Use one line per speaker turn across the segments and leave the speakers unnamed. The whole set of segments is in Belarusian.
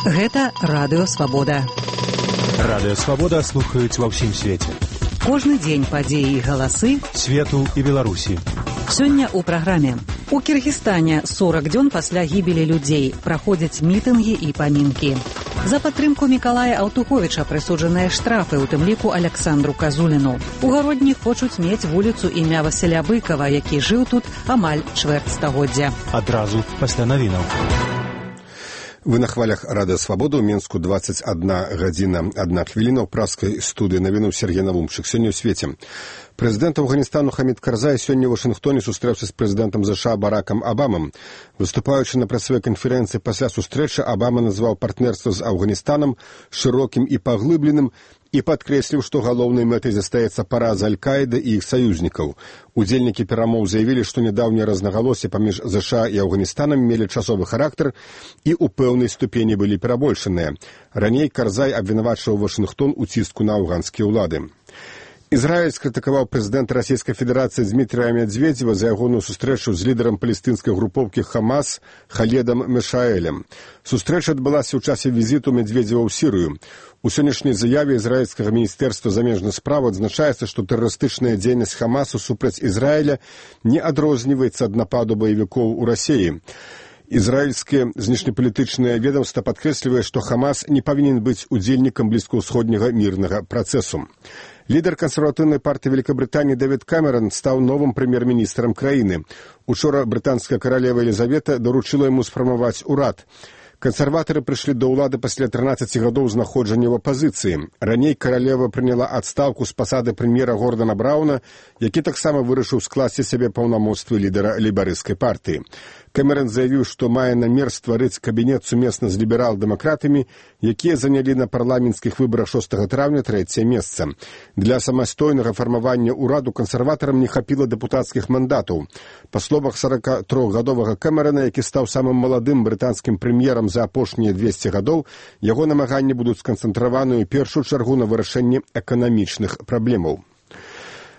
Гэта Радыё Свабода.
Радыё Свабода слухаюць ва ўсім свеце.
Кожны дзень падзеі і галасы
свету і Беларусі.
Сёння ў праграме. У Кіргізстане 40 дзён пасля гібелі людзей праходзяць мітынгі і памінкі. За падтрымку Мікалая Аўтуховіча прысуджаныя штрафы, у тым ліку Аляксандру Казуліну. У Гародні хочуць мець вуліцу імя Васіля Быкава, які жыў тут амаль чвэрць стагоддзя.
Адразу пасля навінаў.
Вы на хвалях Радыё Свабода. У Мінску 21 гадзіна 1 хвіліна. У праскай студыі навіну Сергей Навумчык. Сёння ў свеце. Прэзідэнт Афганістану Хамід Карзай сёння ў Вашынгтоне сустрэўся з прэзідэнтам США Баракам Абамам. Выступаючы на працавой канферэнцыі пасля сустрэчы, Абама назваў партнерства з Афганістанам шырокім і паглыбленым і падкрэсліў, што галоўнай мэтай застаецца параза Аль-Каіды і іх саюзнікаў. Удзельнікі перамоў заявілі, што нядаўнія рознагалоссі паміж ЗША і Афганістанам мелі часовы характар і ў пэўнай ступені былі перабольшаныя. Раней Карзай абвінавачваў Вашынгтон у ціску на афганскія ўлады. Ізраіль скрытыкаваў прэзідэнта Расійскай Федэрацыі Дмітрія Медведзева за ягоную сустрэчу з лідарам палестынскай групоўкі Хамас Халедам Мешаэлем. Сустрэча адбылася ў часе візіту Медведзева ў Сірыю. У сённяшняй заяве ізраільскага міністэрства замежных спраў адзначаецца, што тэрарыстычная дзейнасць Хамасу супраць Ізраіля не адрозніваецца ад нападу баевікоў у Расіі. Ізраільскае знешнепалітычнае ведомства падкрэслівае, што Хамас не павінен быць удзельнікам блізкаўсходняга мірнага працэсу. Лідар кансерватыўнай партыі Великабрытаніі Дэвід Камерон стаў новым прэм'ер-міністрам краіны. Учора брытанская каралева Елізавета даручыла яму сфармаваць урад. Кансерватары прыйшлі да ўлады пасля 13 гадоў знаходжання ў апазіцыі. Раней каралева прыняла адстаўку з пасады прэм'ера Гордана Брауна, які таксама вырашыў скласці сябе паўнамоцтвы лідара лейбарысцкай партыі. Кэмерон заявіў, што мае намер стварыць кабінет сумесна з ліберал-дэмакратамі, якія занялі на парламенцкіх выбарах 6 траўня 3-е месца. Для самастойнага фармавання ўраду кансерватарам не хапіла дэпутацкіх мандатаў. Па словах 43-гадовага Кэмерона, які стаў самым маладым брытанскім прэм'ерам за апошнія 200 гадоў, яго намаганні будуць сканцэнтраваны ў першую чаргу на вырашэнні эканамічных праблемаў.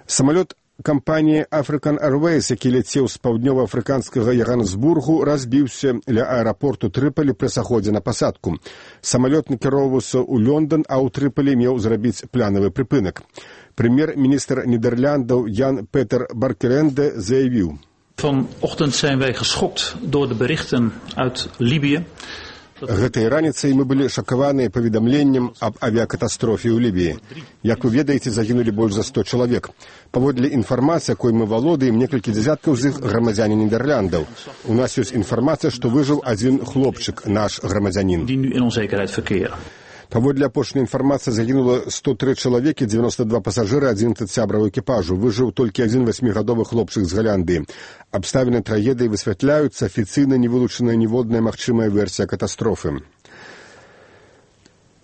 Самалёт кампаніі African Airways, які ляцеў з паўднёва-афрыканскага Яганесбургу, разбіўся ля аэрапорту Трыполі пры саходзе на пасадку. Самалёт накіроўваўся ў Лондон, а ў Трыполі меў зрабіць планавы прыпынак. Прэм'ер-міністр Нідерландаў Ян Петер Баркеренде заявіў:
Vanochtend zijn wij geschokt door de berichten uit Libië.
Гэтай раніцай мы былі шакаваныя паведамленнем аб авіякатастрофе ў Лібіі. Як вы ведаеце, загінулі больш за 100 чалавек. Паводле інфармацыі, якой мы валодаем, некалькі дзясяткаў з іх грамадзяне Нідерландаў. У нас ёсць інфармацыя, што выжыў адзін хлопчык, наш грамадзянін. Паводле апошняй інфармацыі загінула 103 чалавекі, 92 пасажыры, 11 сябраў экіпажу. Выжыў толькі адзін 8гадовы хлопчык з Галандыі. Абставіны трагедыі высвятляюцца, афіцыйна не вылучаная ніводная магчымая версія катастрофы.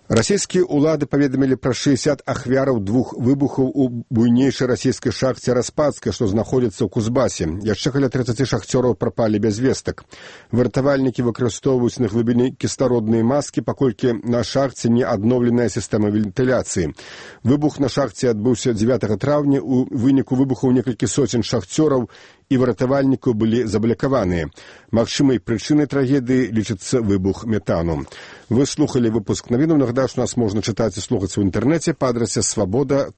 Расійскія ўлады паведамілі пра 60 ахвяраў 2 выбухаў у буйнейшай расійскай шахце Распадскай, што знаходзіцца ў Кузбасе. Яшчэ каля 30 шахцёраў прапалі без вестак. Выратавальнікі выкарыстоўваюць на глыбіні кіслародныя маскі, паколькі на шахце не адноўленая сістэма вентыляцыі. Выбух на шахце адбыўся 9 траўня. У выніку выбухаў некалькі соцень шахцёраў і выратавальнікаў былі заблакаваныя. Магчымай прычынай трагедыі лічыцца выбух метану. Вы слухалі выпуск навінаў. Нагадаю, што нас можна чытаць і слухаць у інтэрнэце па адрасе swaboda.org.